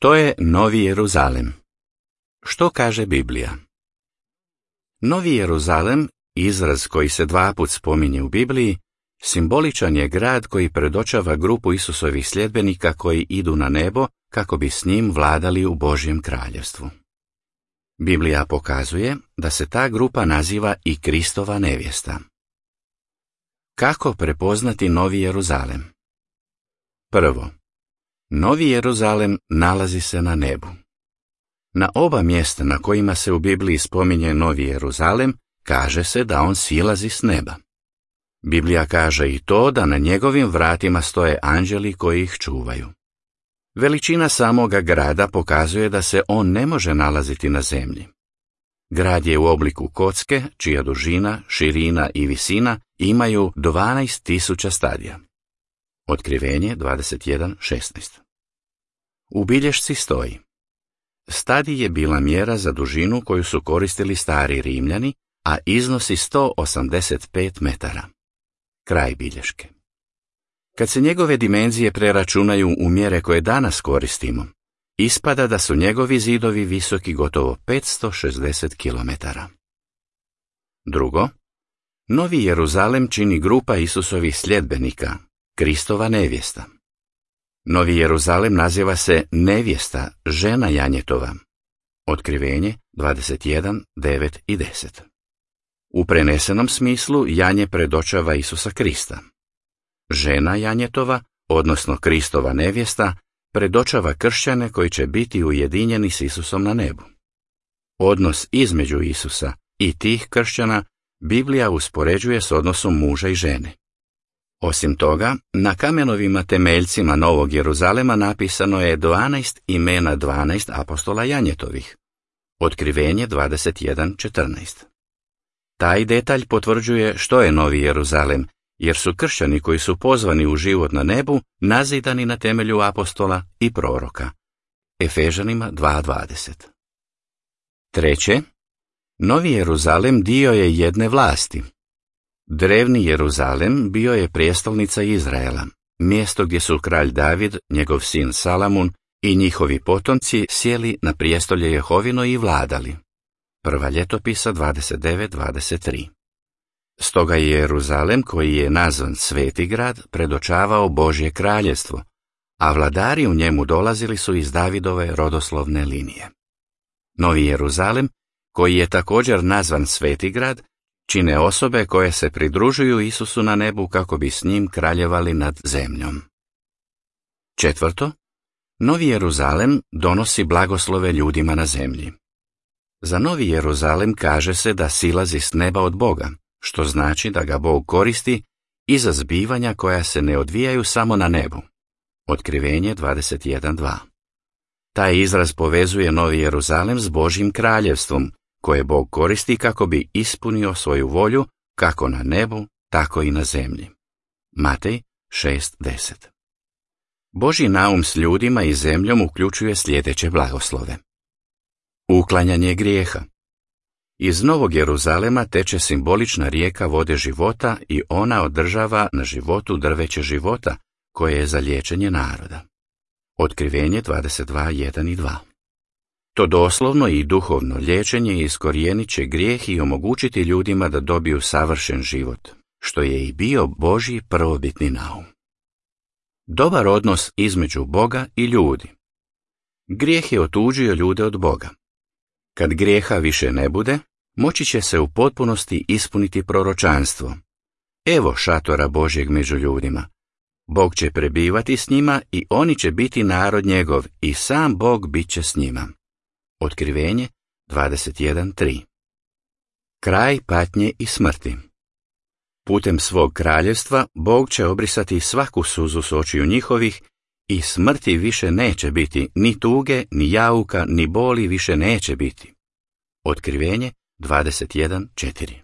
Što je Novi Jeruzalem? Što kaže Biblija? Novi Jeruzalem, izraz koji se 2 puta spominje u Bibliji, simboličan je grad koji predočava grupu Isusovih sljedbenika koji idu na nebo kako bi s njim vladali u Božjem kraljevstvu. Biblija pokazuje da se ta grupa naziva i Kristova nevjesta. Kako prepoznati Novi Jeruzalem? Prvo, Novi Jeruzalem nalazi se na nebu. Na oba mjesta na kojima se u Bibliji spominje Novi Jeruzalem, kaže se da on silazi s neba. Biblija kaže i to da na njegovim vratima stoje anđeli koji ih čuvaju. Veličina samoga grada pokazuje da se on ne može nalaziti na zemlji. Grad je u obliku kocke, čija dužina, širina i visina imaju 12.000 stadija. Otkrivenje 21.16. U bilješci stoji: stadij je bila mjera za dužinu koju su koristili stari Rimljani, a iznosi 185 metara. Kraj bilješke. Kad se njegove dimenzije preračunaju u mjere koje danas koristimo, ispada da su njegovi zidovi visoki gotovo 560 km. Drugo, Novi Jeruzalem čini grupa Isusovih sljedbenika, Kristova nevjesta. Novi Jeruzalem naziva se nevjesta, žena janjetova. Otkrivenje 21, 9 i 10. U prenesenom smislu janje predočava Isusa Krista. Žena janjetova, odnosno Kristova nevjesta, predočava kršćane koji će biti ujedinjeni s Isusom na nebu. Odnos između Isusa i tih kršćana Biblija uspoređuje s odnosom muža i žene. Osim toga, na kamenovima temeljcima Novog Jeruzalema napisano je 12 imena 12 apostola janjetovih. Otkrivenje 21.14. Taj detalj potvrđuje što je Novi Jeruzalem, jer su kršćani koji su pozvani u život na nebu nazidani na temelju apostola i proroka. Efežanima 2.20. Treće, Novi Jeruzalem dio je jedne vlasti. Drevni Jeruzalem bio je prijestolnica Izraela, mjesto gdje su kralj David, njegov sin Salamun i njihovi potomci sjeli na prijestolje Jehovino i vladali. Prva ljetopisa 29.23. Stoga je Jeruzalem, koji je nazvan Sveti grad, predočavao Božje kraljevstvo, a vladari u njemu dolazili su iz Davidove rodoslovne linije. Novi Jeruzalem, koji je također nazvan Sveti grad, čine osobe koje se pridružuju Isusu na nebu kako bi s njim kraljevali nad zemljom. Četvrto, Novi Jeruzalem donosi blagoslove ljudima na zemlji. Za Novi Jeruzalem kaže se da silazi s neba od Boga, što znači da ga Bog koristi i za zbivanja koja se ne odvijaju samo na nebu. Otkrivenje 21.2. Taj izraz povezuje Novi Jeruzalem s Božjim kraljevstvom, koje Bog koristi kako bi ispunio svoju volju kako na nebu, tako i na zemlji. Matej 6.10. Božji naum s ljudima i zemljom uključuje sljedeće blagoslove. Uklanjanje grijeha. Iz Novog Jeruzalema teče simbolična rijeka vode života i ona održava na životu drveće života, koje je za liječenje naroda. Otkrivenje 22.1 i 2. To doslovno i duhovno liječenje iskorijenit će grijeh i omogućiti ljudima da dobiju savršen život, što je i bio Božji prvobitni naum. Dobar odnos između Boga i ljudi. Grijeh je otuđio ljude od Boga. Kad grijeha više ne bude, moći će se u potpunosti ispuniti proročanstvo. Evo šatora Božjeg među ljudima. Bog će prebivati s njima i oni će biti narod njegov i sam Bog bit će s njima. Otkrivenje 21.3. Kraj patnje i smrti. Putem svog kraljevstva Bog će obrisati svaku suzu s očiju njihovih i smrti više neće biti, ni tuge, ni jauka, ni boli više neće biti. Otkrivenje 21.4.